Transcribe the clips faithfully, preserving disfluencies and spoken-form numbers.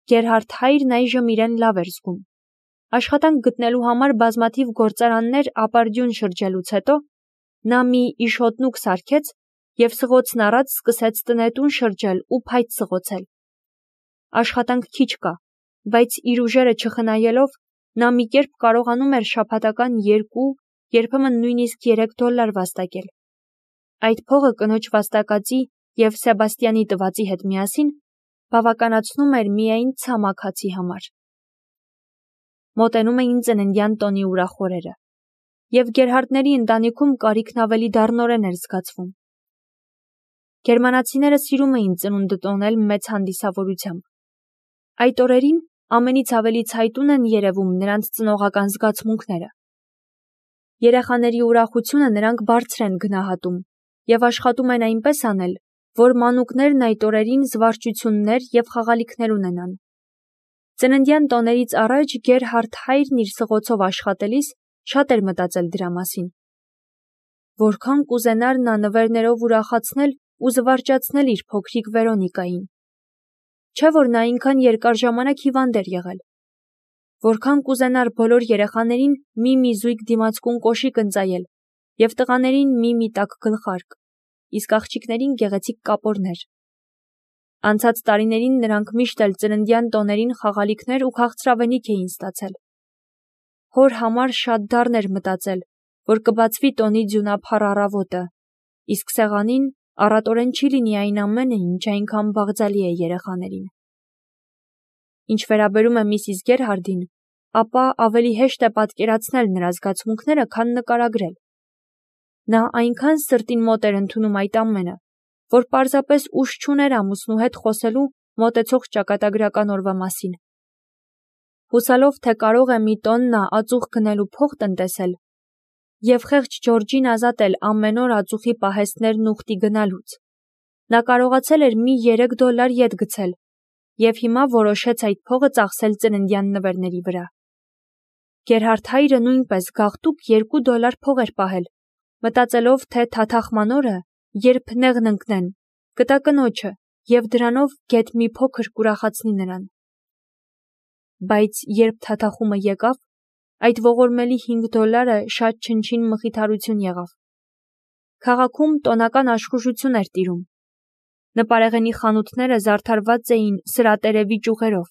Գերհարդ հայրն այժմ իրեն լավ էր զգում։ Աշխատանք գտնելու համար բազմաթիվ գործարաններ ապարդյուն շրջելուց հետո նա մի իշոտնուկ սարքեց և սղոցն առած սկսեց տնետուն շրջել ու փայտ սղոցել։ Աշխատանք քիչ կա, բայց իր ուժերը չխնայելով նա մի կերպ կարողանում էր շաբաթական երկու, երբեմն նույնիսկ երեք դոլար վաստակել։ Այդ փողը կնոջ վաստակածի և Սեբաստյանի տվածի հետ միասին բավականացնում էր միայն ցամաքացի համար։ Մոտենում էին ծննդյան տոնի ուրախ օրերը, և Գերհարդների ընտանիքում կարիքն ավելի դառնորեն էր զգացվում։ Գերմանացիները սիրում էին ծնունդը տոնել մեծ հանդիսավորությամբ։ Այդ օրերին ամենից ավելի ցայտուն են երևում նրանց ծնողական զգացմունքները։ Երեխաների ուրախությունը նրանք բարձր են գնահատում և աշխատում են այնպես անել, որ մանուկներն այդ օրերին զվարճություններ և խաղալիքներ ունենան։ Ծննդյան տոներից առաջ Գերհարդ հայրն իր սղոցով աշխատելիս շատ էր մտածել դրա մասին։ Որքան կուզենար նա նվերներով ուրախացնել ու զվարճացնել իր փոքրիկ Վերոնիկային։ Չէ՞ որ նա այնքան երկար ժամանակ հիվանդ էր եղել։ Որքան կուզենար բոլոր երեխաներին մի-մի զույգ դիմացկուն կոշիկ ընծայել և տղաներին մի-մի տաք գլխարկ, իսկ աղջիկներին գեղեցիկ կապորներ։ Անցած տարիներին նրանք միշտ էլ ծննդյան տոներին խաղալիքներ ու քաղցրավենիք էին ստացել։ Հոր համար շատ դառն էր մտածել, որ կբացվի տոնի ձյունափառ առավոտը, իսկ սեղանին առատորեն չի լինի այն ամենը, ինչ այնքան բաղձալի է երեխաներին։ Ինչ վերաբերում է միսիս Գերհարդին, ապա ավելի հեշտ է պատկերացնել նրա զգացմունքները, քան նկարագրել։ Նա այնքան սրտին մոտ էր ընդունում այդ ամենը, որ պարզապես ուժ չուներ ամուսնու հետ խոսելու մոտեցող ճակատագրական օրվա մասին։ Հուսալով, թե կարող է մի տոն նա ածուխ գնելու փող տնտեսել և խեղճ Ջորջին ազատել ամեն օր ածուխի պահեստներն ուխտի գնալուց, նա կարողացել էր մի երեք դոլար ետ գցել և հիմա որոշեց այդ փողը ծախսել ծննդյան նվերների վրա։ Գերհարդ հայրը նույնպես գաղտուկ երկու դոլար փող էր պահել, մտածելով, թե թաթախման օրը, երբ նեղն ընկնեն, կտա կնոջը և դրանով գեթ մի փոքր կուրախացնի նրան։ Բայց երբ թաթախումը եկավ, այդ ողորմելի հինգ դոլարը շատ չնչին մխիթարություն եղավ։ Քաղաքում տոնական աշխուժություն էր տիրում։ Նպարեղենի խանութները զարդարված էին սրատերևի ճյուղերով։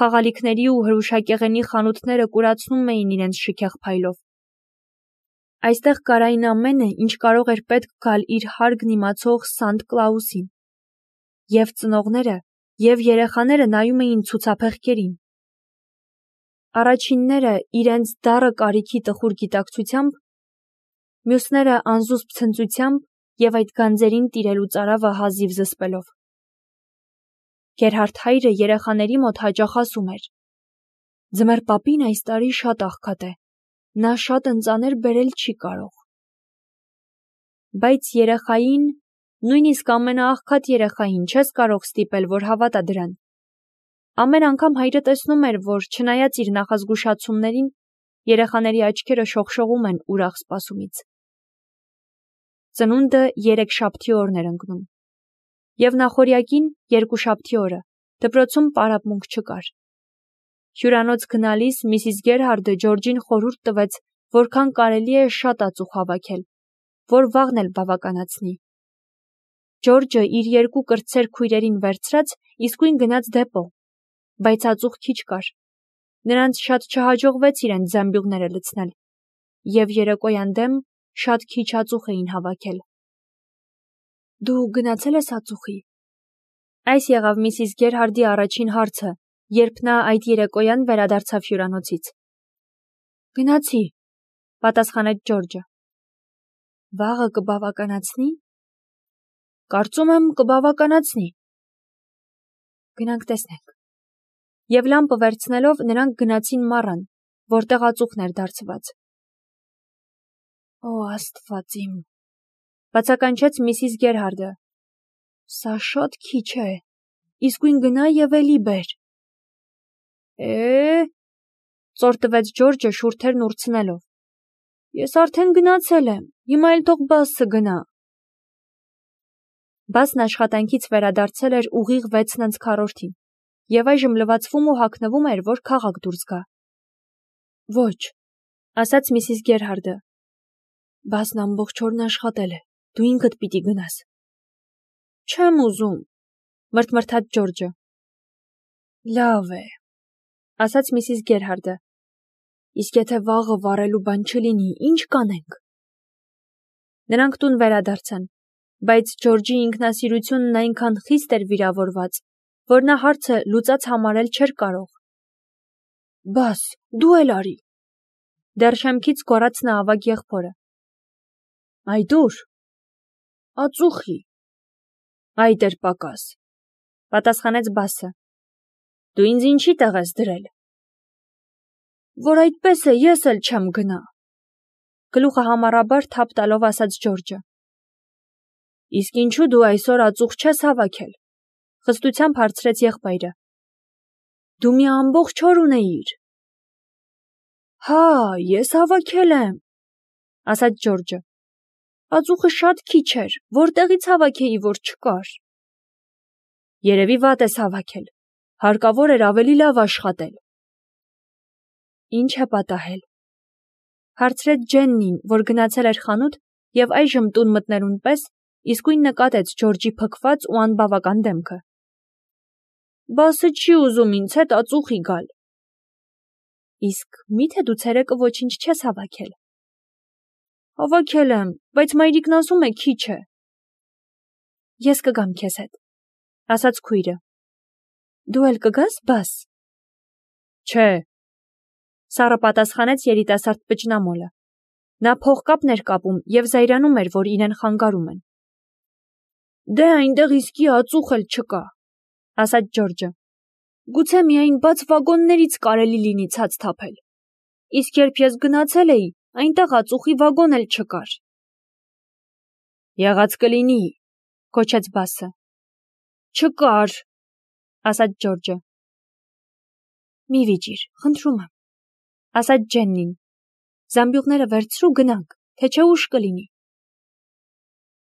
Խաղալիքների ու հրուշակեղենի խանութները կուրացնում էին իրենց շքեղ փայլով։ Այստեղ կար այն ամենը, ինչ կարող էր պետք գալ իր հարգն իմացող Սանտ Կլաուսին։ Եվ ծնողները, և երեխաները նայում էին ցուցափեղկերին։ Առաջինները իրենց դառը կարիքի տխուր գիտակցությամբ, մյուսները անզուսպ ցնծությամբ և այդ գանձերին տիրելու ծարավը հազիվ զսպելով։ Գերհարդ հայրը երեխաների մոտ հաճախ ասում էր. «Ձմեռ պապին այս տարի շատ աղքատ է, նա շատ ընծաներ բերել չի կարող»։ Բայց երեխային, նույնիսկ ամենաաղքատ երեխային չես կարող ստիպել, որ հավատա դրան։ Ամեն անգամ հայրը տեսնում էր, որ չնայած իր նախազգուշացումներին, երեխաների աչքերը շողշողում են ուրախ սպասումից։ Ծնունդը երեքշաբթի օրն էր ընկնում, և նախօրյակին, երկուշաբթի օրը, դպրոցում պարապմունք չկար։ Հյուրանոց գնալիս միսիս Գերհարդը Ջորջին խորհուրդ տվեց, որքան կարելի է շատ ածուխ հավաքել, որ վաղն էլ բավականացնի։ Ջորջը իր երկու կրտսեր քույրերին վերցրած իսկույն գնաց դեպո, բայց ածուխ քիչ կար։ Նրանց շատ չհաջողվեց իրենց զամբյուղները լցնել, և երեկոյան դեմ շատ քիչ ածուխ էին հավաքել։ «Դու գնացե՞լ ես ածուխի»։ Այս եղավ միսիս Գերհարդի առաջին հարցը, երբ նա այդ երեկոյան վերադարձավ հյուրանոցից։ «Գնացի», պատասխանեց Ջորջը։ «Վաղը կբավականացնի»։ «Կարծում եմ կբավականացնի»։ «Գնանք տեսնենք»։ Եվ լամպը վերցնելով նրանք գնացին մառան, որտեղ ածուխն էր դարձված։ «Օ Աստված իմ», բացականչեց միսիս Գերհարդը, «սա շատ քիչ է, իսկույն գնա և էլի բեր»։ «Է՞, ծոր տվեց Ջորջը շուրթերն ուրցնելով, ես արդեն գնացել եմ, հիմա էլ թող Բասը գնա»։ Բասն աշխատանքից վերադարձել էր ուղիղ վեցն անց քառորդին եւ այժմ լվացվում ու հագնվում էր, որ քաղաք դուրս գա։ Ոչ, ասաց Միսիս Գերհարդը։ Բասն ամբողջ օրն աշխատել է, դու ինքդ պիտի գնաս։ Չեմ ուզում, մրթմրթաց Ջորջը։ Լավ է, ասաց Միսիս Գերհարդը։ Իսկ եթե վաղը վառելու բան չլինի, ինչ կանենք։ Նրանք տուն վերադարձան, բայց Ջորջի ինքնասիրությունն այնքան խիստ էր վիրավորված, որ նա հարցը լուծած համարել չէր կարող։ Բաս, դու էլ արի։ Դեռ շեմքից գոռաց նա ավագ եղբորը։ Այ դուր։ Ածուխի։ Այ դեր պակաս, պատասխանեց Բասը։ Դու ինձ ինչի տեղ ես դրել։ Որ այդպես է, ես էլ չեմ գնա։ Գլուխը համառաբար թափ տալով ասաց Ջորջը։ Իսկ ինչու դու այսօր ածուխ չես հավաքել, խստությամբ հարցրեց եղբայրը։ Դու մի ամբողջ օր ունեիր։ Հա, ես հավաքել եմ, ասաց Ջորջը։ Ածուխը շատ քիչ էր, որտեղից հավաքեի, որ չկար։ Երևի վատ ես հավաքել, հարկավոր էր ավելի լավ աշխատել։ Ինչ է պատահել, հարցրեց Ջեննին, որ գնացել էր խանութ եւ այժմ տուն մտնելուն պես իսկույն նկատեց Ջորջի փքված ու անբավական դեմքը։ Բասը չի ուզում ինձ հետ ածուխի գալ։ Իսկ միթե դու ցերեկը ոչինչ չես հավաքել։ Հավաքել եմ, բայց մայրիկն ասում է քիչ է։ Ես կգամ քեզ հետ, ասաց քույրը։ Դու էլ կգաս, Բաս։ Չէ, սառը պատասխանեց երիտասարդ պճնամոլը։ Նա փողկապն էր կապում եւ զայրանում էր, որ իրեն խանգարում են։ Դե այնտեղ իսկի ածուխ էլ չկա, ասաց Ջորջը։ Գուցե միայն բաց վագոններից կարելի լինի ցած թափել։ Իսկ երբ ես գնացել էի, այնտեղ ածուխի վագոն էլ չկար։ Եղած կլինի, կոչեց Բասը։ Չկար, ասաց Ջորջը։ Մի վիճիր, խնդրում եմ, ասաց Ջեննին։ Զամբյուղները վերցրու գնանք, թե չէ ուշ կլինի։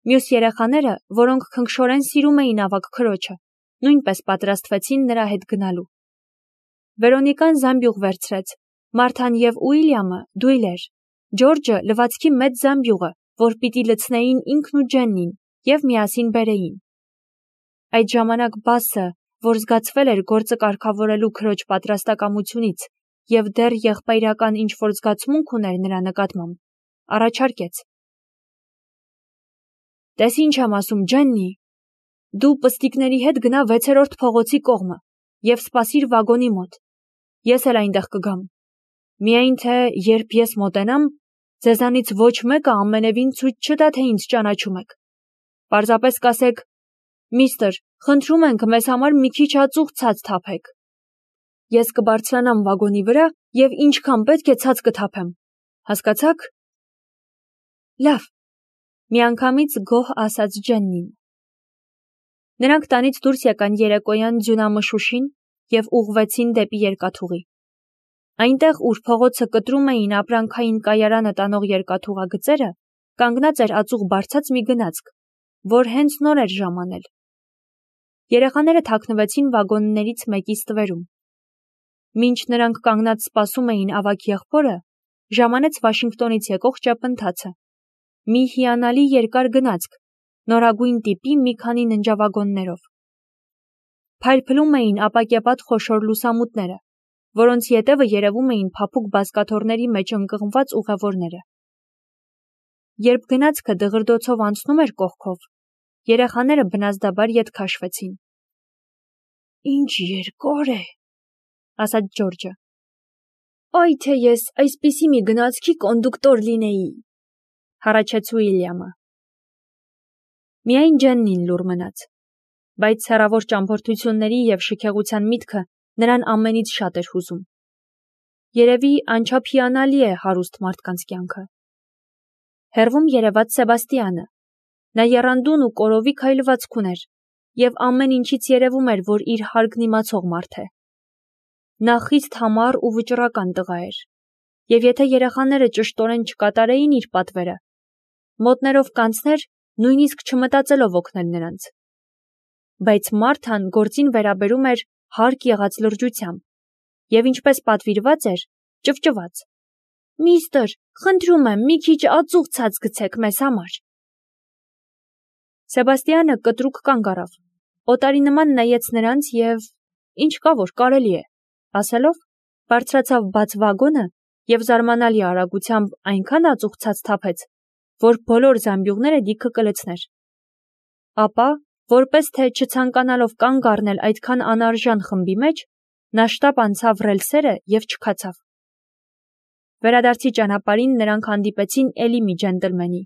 Մյուս երեխաները, որոնք քնքշորեն սիրում էին ավագ քրոջը, նույնպես պատրաստվեցին նրա հետ գնալու։ Վերոնիկան զամբյուղ վերցրեց, Մարթան եւ Ուիլյամը դույլեր, Ջորջը լվացքի մեծ զամբյուղը, որ պիտի լցնեին ինքն ու Ջեննին եւ միասին բերեին։ Այդ ժամանակ Բասը, որ զգացվել էր գործը կարգավորելու քրոջ պատրաստակամությունից եւ դեռ եղբայրական ինչ-որ զգացմունք ուներ նրա նկատմամբ, առաջարկեց. Տես ինչ եմ ասում, Ջեննի, դու պստիկների հետ գնա վեցերորդ փողոցի կողմը եւ սպասիր վագոնի մոտ։ Ես էլ այնտեղ կգամ։ Միայն թե երբ ես մոտենամ, ձեզանից ոչ մեկը ամենևին ցույց չտա, թե ինձ ճանաչում եք։ Պարզապես կասեք. Միստր, խնդրում ենք մեզ համար մի քիչ ածուխ ցած թափեք։ Ես կբարձրանամ վագոնի վրա եւ ինչքան պետք է ցած կթափեմ։ Հասկացաք։ Լավ, միանգամից գոհ ասաց Ջեննին։ Նրանք տանից դուրս եկան երեկոյան ձյունամշուշին եւ ուղղվեցին դեպի երկաթուղի։ Այնտեղ, ուր փողոցը կտրում էին ապրանքային կայարանը տանող երկաթուղագծերը, կանգնած էր ածուխ բարձած մի գնացք, որ հենց նոր էր ժամանել։ Երեխաները թաքնվեցին վագոններից մեկի ստվերում։ Մինչ նրանք կանգնած սպասում էին ավագ եղբորը, ժամանեց Վաշինգտոնից եկող ճապընթացը։ Մի հիանալի երկար գնացք, նորագույն տիպի մի քանի ննջավագոններով։ Փայլփլում էին ապակեպատ խոշոր լուսամուտները, որոնց ետևը երևում էին փափուկ բազկաթոռների մեջ ընկղմված ուղևորները։ Երբ գնացքը դղրդոցով անցնում էր կողքով, երեխաները բնազդաբար ետ քաշվեցին։ Ինչ երկար է, ասաց Ջորջը։ Այ թե ես այսպիսի մի գնացքի կոնդուկտոր լինեի, հառաչեց Ուիլյամը։ Միայն Ջեննին լուռ մնաց, բայց հեռավոր ճամփորդությունների եւ շքեղության միտքը նրան ամենից շատ էր հուզում։ Երևի անչափ հիանալի է հարուստ մարդկանց կյանքը։ Հեռվում երևաց Սեբաստիանը։ Նա եռանդուն ու կորովի քայլվածք ուներ եւ ամեն ինչից երևում էր, որ իր հարգն իմացող մարդ է։ Նա խիստ համառ ու վճռական տղա էր, եւ եթե երեխաները ճշտորեն չկատարեին իր պատվերը, մոտներով կանցներ, նույնիսկ չմտածելով օգնել նրանց։ Բայց Մարթան գործին վերաբերում էր հարկ եղած լրջությամբ, և ինչպես պատվիրված էր, ճվճված. «Միստր, խնդրում եմ, մի քիչ ածուխ ցած գցեք մեզ համար»։ Սեբաստիանը կտրուկ կանգ առավ, օտարի նման նայեց նրանց և «ինչ կա որ կարելի է» ասելով, բարձրացավ բաց վագոնը և զարմանալի արագությամբ այնքան ածուխ ցած թափեց, որ բոլոր զամբյուղները լիքը կլցներ։ Ապա, որպես թե չցանկանալով կանգ առնել այդքան անարժան խմբի մեջ, նա շտապ անցավ ռելսերը և չքացավ։ Վերադարձի ճանապարհին նրանք հանդիպեցին էլի մի ջենտլմենի,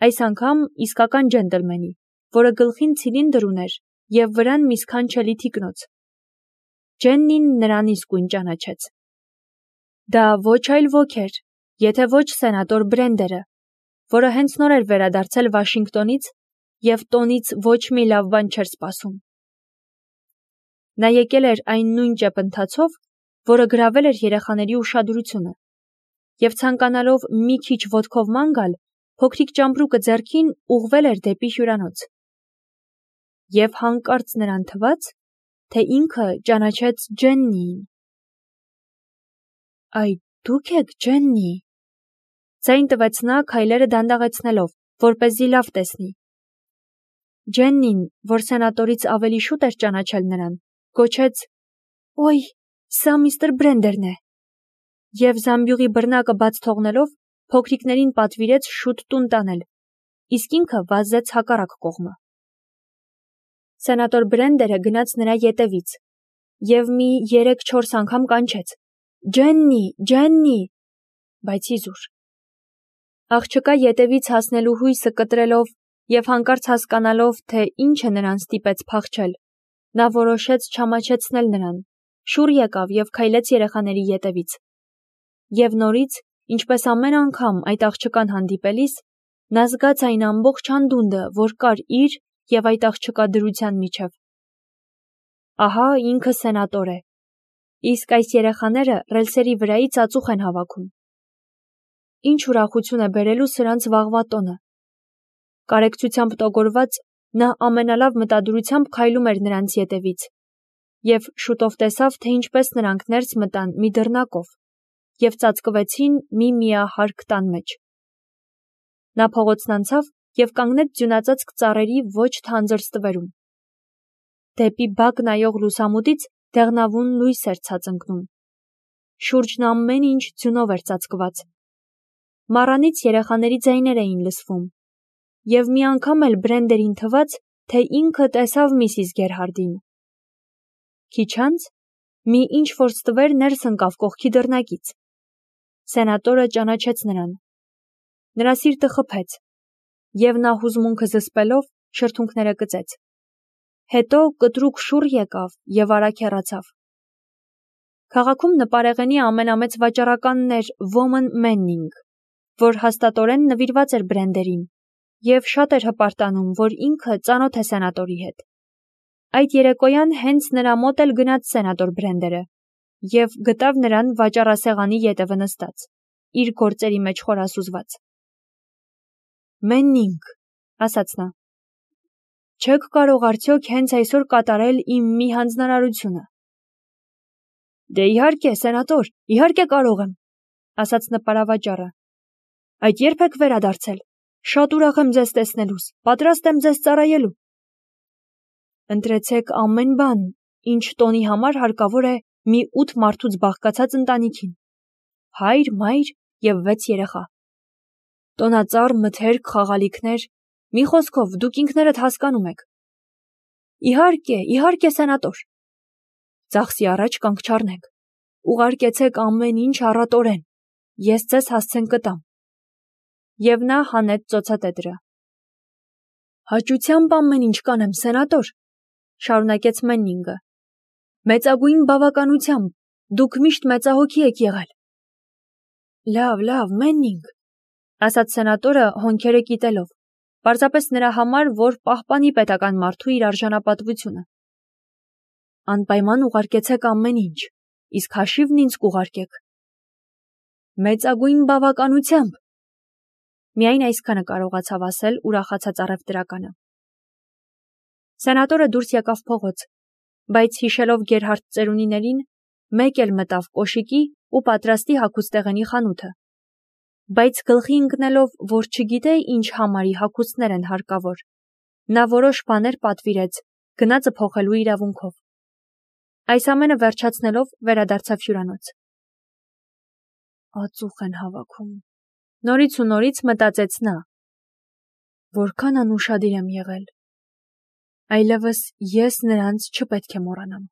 այս անգամ իսկական ջենտլմենի, որը գլխին ցիլինդր ուներ և վրան մի սքանչելի թիկնոց։ Ջեննին նրան իսկույն ճանաչեց։ Դա ոչ այլ ոք էր, եթե ոչ սենատոր Բրենդերը, որը հենց նոր էր վերադարձել Վաշինգտոնից և տոնից ոչ մի լավ բան չէր սպասում։ Նա եկել էր այն նույն ճեպընթացով, որը գրավել էր երեխաների ուշադրությունը, և ցանկանալով մի քիչ ոտքով ման գալ, փոքրիկ ճամպրուկը ձեռքին ուղղվել էր դեպի հյուրանոց։ Եվ հանկարծ նրան թվաց, թե ինքը ճանաչեց Ջեննիին։ «Այ դուք եք Ջեննի», ձայն տվեց նա քայլերը դանդաղեցնելով, որպեսզի լավ տեսնի։ Ջեննին, որ սենատորից ավելի շուտ էր ճանաչել նրան, գոչեց. «Օյ, սա միստր Բրենդերն է», և զամբյուղի բռնակը բաց թողնելով, փոքրիկներին պատվիրեց շուտ տուն տանել, իսկ ինքը վազեց հակառակ կողմը։ Սենատոր Բրենդերը գնաց նրա ետևից և մի երեք-չորս անգամ կանչեց. «Ջեննի, Ջեննի», բայց իզուր։ Աղջկա ետևից հասնելու հույսը կտրելով և հանկարծ հասկանալով, թե ինչ է նրան ստիպեց փախչել, նա որոշեց չամաչեցնել նրան, շուռ եկավ և քայլեց երեխաների ետևից։ Եվ նորից, ինչպես ամեն անգամ այդ աղջկան հանդիպելիս, նա զգաց այն ամբողջ անդունդը, որ կար իր և այդ աղջկա դրության միջև։ Ահա ինքը սենատոր է, իսկ այս երեխաները ռելսերի վրայից ածուխ են հավաքում։ Ինչ ուրախություն է բերելու սրանց վաղվա տոնը։ Կարեկցությամբ տոգորված, նա ամենալավ մտադրությամբ քայլում էր նրանց ետևից և շուտով տեսավ, թե ինչպես նրանք ներս մտան մի դռնակով և ծածկվեցին մի միահարկ տան մեջ։ Նա փողոցն անցավ և կանգնեց ձյունածածկ ծառերի ոչ թանձր ստվերում։ Դեպի բակ նայող լուսամուտից դեղնավուն լույս էր ցած ընկնում։ Շուրջն ամեն ինչ ձյունով էր ծածկված։ Մառանից երեխաների ձայներ էին լսվում, և մի անգամ էլ Բրենդերին թվաց, թե ինքը տեսավ միսիս Գերհարդին։ Քիչ անց մի ինչ-որ ստվեր ներս ընկավ կողքի դռնակից։ Սենատորը ճանաչեց նրան։ Նրա սիրտը խփեց, և նա հուզմունքը զսպելով շրթունքները կծեց։ Հետո կտրուկ շուռ եկավ և արագ հեռացավ։ Քաղաքում նպարեղենի ամենամեծ վաճառականն էր Ոմն Մեննինգ, որ հաստատորեն նվիրված էր Բրենդերին և շատ էր հպարտանում, որ ինքը ծանոթ է սենատորի հետ։ Այդ երեկոյան հենց նրա մոտ էլ գնաց սենատոր Բրենդերը և գտավ նրան վաճառասեղանի ետևը նստած, իր գործերի մեջ խորասուզված։ «Մեննինգ», ասաց նա, «չեք կարող արդյոք հենց այսօր կատարել իմ մի հանձնարարությունը»։ «Դե իհարկե, սենատոր, իհարկե կարող եմ», ասաց նպարավաճառը։ «Այդ ե՞րբ եք վերադարձել։ Շատ ուրախ եմ ձեզ տեսնելուս, պատրաստ եմ ձեզ ծառայելու»։ «Ընտրեցեք ամեն բան, ինչ տոնի համար հարկավոր է մի ութ մարդուց բաղկացած ընտանիքին, հայր, մայր և վեց երեխա։ Տոնածառ, մթերք, խաղալիքներ, մի խոսքով, դուք ինքներդ հասկանում եք»։ «Իհարկե, իհարկե, սենատոր»։ «Ծախսի առաջ կանգ չառնեք, ուղարկեցեք ամեն ինչ առատորեն, ես ձեզ հասցեն կտամ»։ Եվ նա հանեց ծոցատետրը։ «Հաճությամբ ամեն ինչ կանեմ, սենատոր», շարունակեց Մեննինգը։ «Մեծագույն բավականությամբ, դուք միշտ մեծահոգի եք եղել»։ «Լավ, լավ, Մեննինգ», ասաց սենատորը հոնքերը կիտելով, պարզապես նրա համար, որ պահպանի պետական մարդու իր արժանապատվությունը։ «Անպայման ուղարկեցեք ամեն ինչ, իսկ հաշիվն ինձ կուղարկեք»։ «Մեծագույն բավականությամբ», միայն այսքանը կարողացավ ասել ուրախացած առևտրականը։ Սենատորը դուրս եկավ փողոց բայց հիշելով Գերհարդ ծերունիներին, մեկ էլ մտավ կոշիկի ու պատրաստի հագուստեղենի խանութը։ Բայց գլխի ընկնելով, որ չգիտե ինչ համարի հագուստներ են հարկավոր, նա որոշ բաներ պատվիրեց գնացը փոխելու իրավունքով։ Այս ամենը վերջացնելով վերադարձավ հյուրանոց։ Ածուխ են հավաքում։ Նորից ու նորից մտածեց նա. որքան անուշադիր եմ եղել։ Այլևս ես նրանց չպետք է մոռանամ։